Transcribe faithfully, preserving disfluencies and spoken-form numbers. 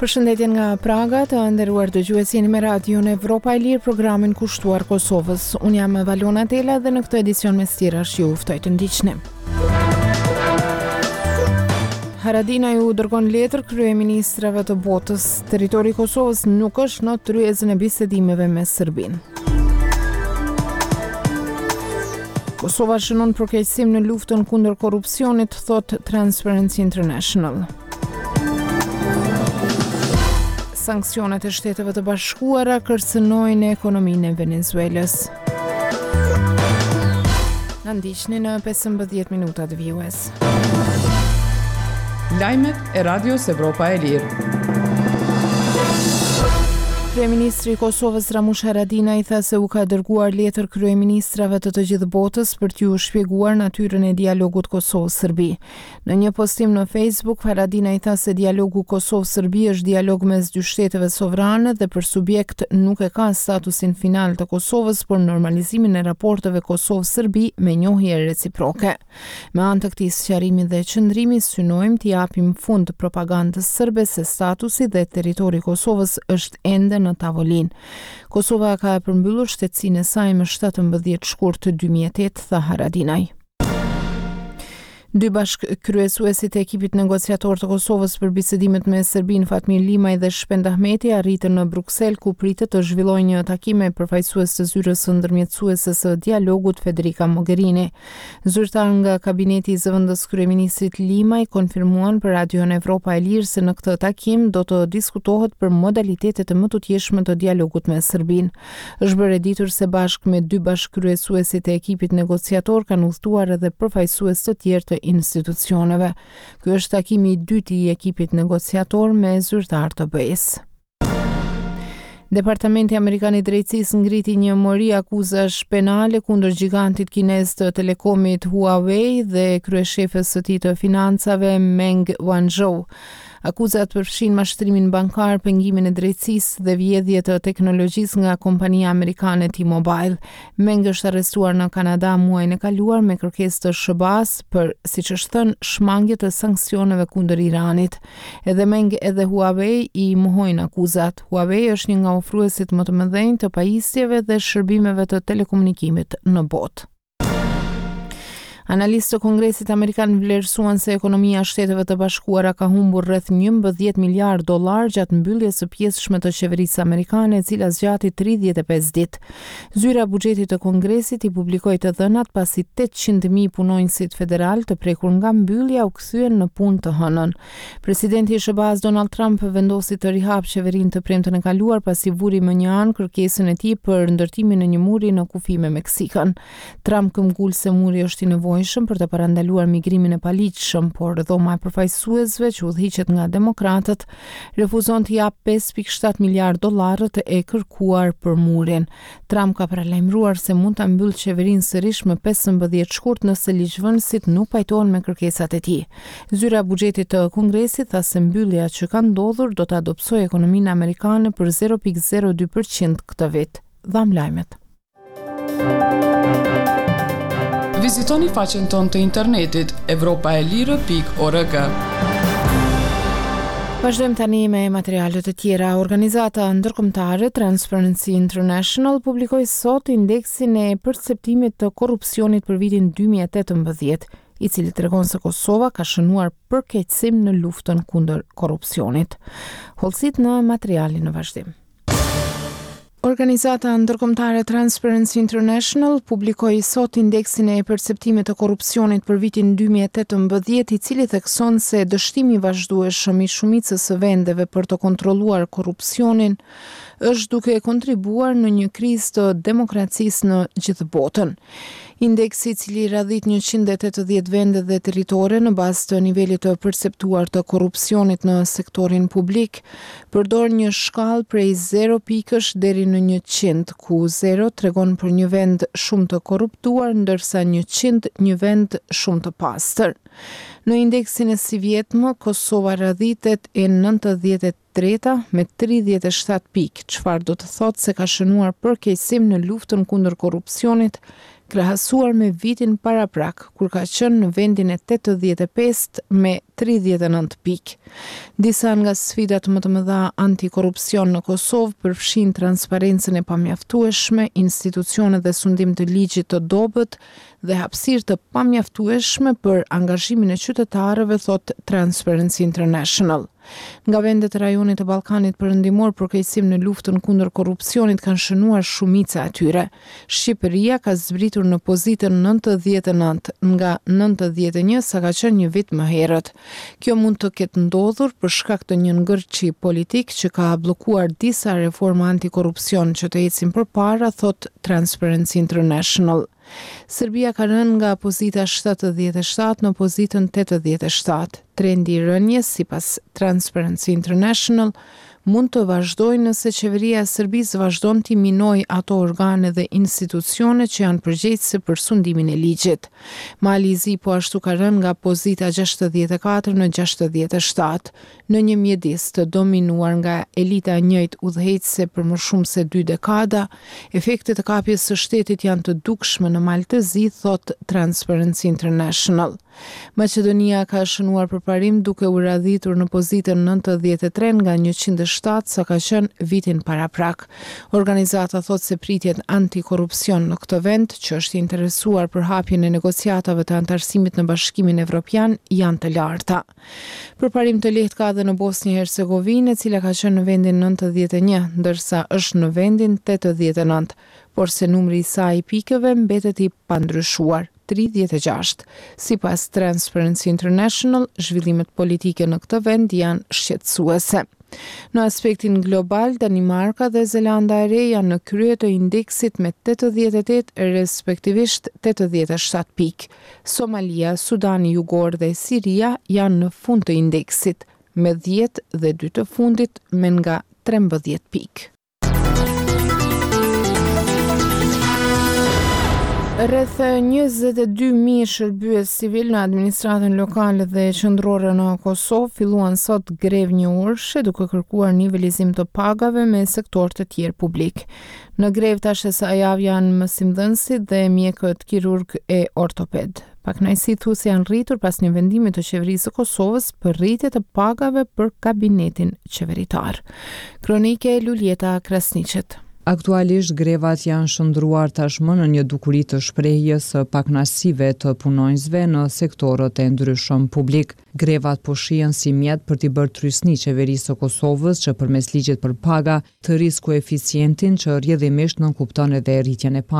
Përshëndetje nga Praga, të nderuar dëgjues, jeni me Radion Evropa e Lirë, programin kushtuar Kosovës. Unë jam Valona Tela dhe në këtë edicion mes tjerash ju ftoj të ndiqni. Haradinaj u dërgon letër kryeministrave të botës. Territori i Kosovës nuk është në tryezën e bisedimeve me Serbinë. Kosova shënon përkeqësim në luftën kundër korrupsionit, thot Transparency International. Sanksionet e Shteteve të Bashkuara kërcënojnë ekonominë e Venezuelës. Na ndiqni në pesëmbëdhjetë minutat vijues. Lajmet e Radios Evropa e Lirë. Kryeministri i Kosovës Ramush Haradinaj tha se u ka dërguar letër kryeministrave të të gjithë botës për t'ju shpjeguar natyrën e dialogut Kosovë-Serbi. Në një postim në Facebook, Haradinaj tha se dialogu Kosovë-Serbi është dialog mes dy shteteve sovrane dhe për subjekt nuk e ka statusin final të Kosovës, por normalizimin e raporteve Kosovë-Serbi me njohje reciproke. Me anë të këtij sqarimi dhe qëndrimi synojmë t'i japim fund propagandës serbe se statusi dhe territori i Kosovës është ende në tavolinë. Kosova ka përmbyllur shtetësinë e saj më shtatëmbëdhjetë shkurt dy mijë e tetë, tha Haradinaj. Dy bashkëkryesuesit e ekipit negociator të Kosovës për bisedimet me Serbinë, Fatmir Limaj dhe Shpend Ahmeti, arritën në Bruksel, ku pritet të zhvillojnë një takim me përfaqësues të zyrës së ndërmjetësuese së dialogut Federica Mogherini. Zyrtar nga kabineti i zëvendës kryeministrit Limaj konfirmuan për Radion Evropa e Lirë se në këtë takim do të diskutohet për modalitetet e mëtutjeshme të dialogut me Serbinë. Është bërë e ditur se bashkë me dy bashkëkryesuesit e ekipit negociator kanë udhëtuar edhe përfaqësues të tjerë të institucioneve. Ky është takimi i dytë i ekipit negociator me zyrtar të B E-s. Departamenti Amerikan i Drejtësisë ngriti një mori akuzash penale kundër gigantit kinez të telekomit Huawei dhe kryeshefës së tij të financave Meng Wanzhou. Akuzat përfshin mashtrimin bankar, pengimin e drejtësisë dhe vjedhje të teknologjisë nga kompania amerikane T-Mobile. Meng është arrestuar në Kanada muajin e kaluar me kërkesë të S H B A-s për, siç është thënë, shmangje të sanksioneve kundër Iranit. Edhe Meng edhe Huawei i mohojnë akuzat. Huawei është një nga ofruesit më të mëdhenj të pajisjeve dhe shërbimeve të telekomunikimit në botë. Analistë të Kongresit Amerikan vlerësuan se ekonomia e Shteteve të Bashkuara ka humbur rreth njëmbëdhjetë miliard dollar gjatë mbylljes së pjesshme të qeverisë amerikane, e cila zgjati tridhjetë e pesë ditë. Zyra e buxhetit të Kongresit i publikoi të dhënat pasi tetëqind mijë punonjësit federal të prekur nga mbyllja u kthyen në punë të hënën. Presidenti i S H B A-s Donald Trump vendosi të rihap qeverinë të premten e kaluar pasi vuri më një anë kërkesën e tij për ndërtimin e një muri në kufi me Meksikën. Trump këmbgul se muri është i nevojshëm për të parandaluar migrimin e paligjshëm, por dhoma e përfaqësuesve që udhëhiqet nga demokratët refuzon të japë pesë pikë shtatë miliard dollarët e kërkuar për murin. Trump ka paralajmëruar se mund ta mbyllë qeverinë sërish më pesëmbëdhjetë shkurt nëse ligjvënësit nuk pajtohen me kërkesat e tij. Zyra e buxhetit të Kongresit tha se mbyllja që ka ndodhur do ta dobësojë ekonominë amerikane për zero pikë zero dy përqind këtë vit. Dham lajmet. Vizitoni faqen tonë të internetit evropa e lirë pikë org. Vazhdojmë tani me materialet e tjera. Organizata ndërkombëtare Transparency International publikoi sot indeksin e perceptimit të korrupsionit për vitin dy mijë e tetëmbëdhjetë, i cili tregon se Kosova ka shënuar përkeqësim në luftën kundër korrupsionit. Hollësit në materialin në vazhdim. Organizata ndërkombëtare Transparency International publikoi sot indeksin e perceptimit të korrupsionit për vitin dy mijë e tetëmbëdhjetë, i cili thekson se dështimi i vazhdueshëm i shumicës së vendeve për të kontrolluar korrupsionin është duke kontribuar në një krizë të demokracisë në gjithë botën. Indeksi, i cili radhit njëqind e tetëdhjetë vende dhe territore në bazë të nivelit të perceptuar të korrupsionit në sektorin publik, përdor një shkallë prej zero pikësh deri në njëqind, ku zero tregon për një vend shumë të korruptuar, ndërsa njëqind një vend shumë të pastër. Në indeksin e sivjetmë, Kosova radhitet e nëntëdhjetë e treta me tridhjetë e shtatë pikë, çfarë do të thotë se ka shënuar përkeqësim në luftën kundër korrupsionit krahasuar me vitin paraprak, kur ka qenë në vendin e tetëdhjetë e pestë me tridhjetë e nëntë pikë. Disa nga sfidat më të mëdha antikorrupsion në Kosovë përfshijnë transparencën e pamjaftueshme, institucione dhe sundim të ligjit të dobët dhe hapësirë të pamjaftueshme për angazhimin e qytetarëve, thotë Transparency International. Nga vendet e rajonit të Ballkanit Perëndimor, përkeqësim në luftën kundër korrupsionit kanë shënuar shumica e tyre. Shqipëria ka zbritur në pozitën nëntëdhjetë e nëntë nga nëntëdhjetë e një sa ka qenë një vit më herët. Kjo mund të ketë ndodhur për shkak të një ngërçi politik që ka bllokuar disa reforma antikorrupsion që të ecin përpara, thotë Transparency International. Serbia ka rënë nga pozita shtatëdhjetë e shtatë në pozitën tetëdhjetë e shtatë. Trendi i rënies, sipas Transparency International, mund të vazhdojë nëse qeveria e Serbisë vazhdon t'i minojë ato organe dhe institucione që janë përgjegjëse për sundimin e ligjit. Mali i Zi po ashtu ka rënë nga pozita gjashtëdhjetë e katër në gjashtëdhjetë e shtatë, në një mjedis të dominuar nga elita e njëjtë udhëheqëse për më shumë se dy dekada. Efektet e kapjes së shtetit janë të dukshme në Mal të Zi, thotë Transparency International. Maqedonia ka shënuar përparim duke u radhitur në pozitën nëntëdhjetë e tre nga njëqind e shtatë sa ka qenë vitin paraprak. Organizata thotë se pritjet antikorrupsion në këtë vend, që është i interesuar për hapjen e negociatave të anëtarësimit në Bashkimin Evropian, janë të larta. Përparim të lehtë ka edhe në Bosnjë Hercegovinë, e cila ka qenë në vendin nëntëdhjetë e një, ndërsa është në vendin tetëdhjetë e nëntë, por se numri i saj i pikëve mbetet i pandryshuar, tridhjetë e gjashtë. Sipas Transparency International, zhvillimet politike në këtë vend janë shqetësuese. Në aspektin global, Danimarka dhe Zelanda e Re janë në krye të indeksit me tetëdhjetë e tetë, respektivisht tetëdhjetë e shtatë pikë. Somalia, Sudani Jugor dhe Siria janë në fund të indeksit, me dhjetë dhe dy të fundit me nga trembëdhjetë pikë. Rreth njëzet e dy mijë shërbyes civil në administratën lokale dhe qendrore në Kosovë filluan sot grevë një orëshe duke kërkuar nivelizim të pagave me sektorë të tjerë publik. Në grevë tash e sa javë janë mësimdhënësit dhe mjekët kirurg e ortoped. Pakënaqësitë thu se janë rritur pas një vendimi të qeverisë së Kosovës për rritje të pagave për kabinetin qeveritar. Kronike Luljeta Krasniqit. Aktualisht grevat janë shndruar tashmë në një dukuri të shprehjes së pakënaqësive të punonjësve në sektorët e ndryshëm publik. Grevat po shihen si mjet për t'i bërë trysni qeverisë së Kosovës që përmes ligjit për paga të rrisë koeficientin që rrjedhimisht nënkupton edhe rritjen e pagave.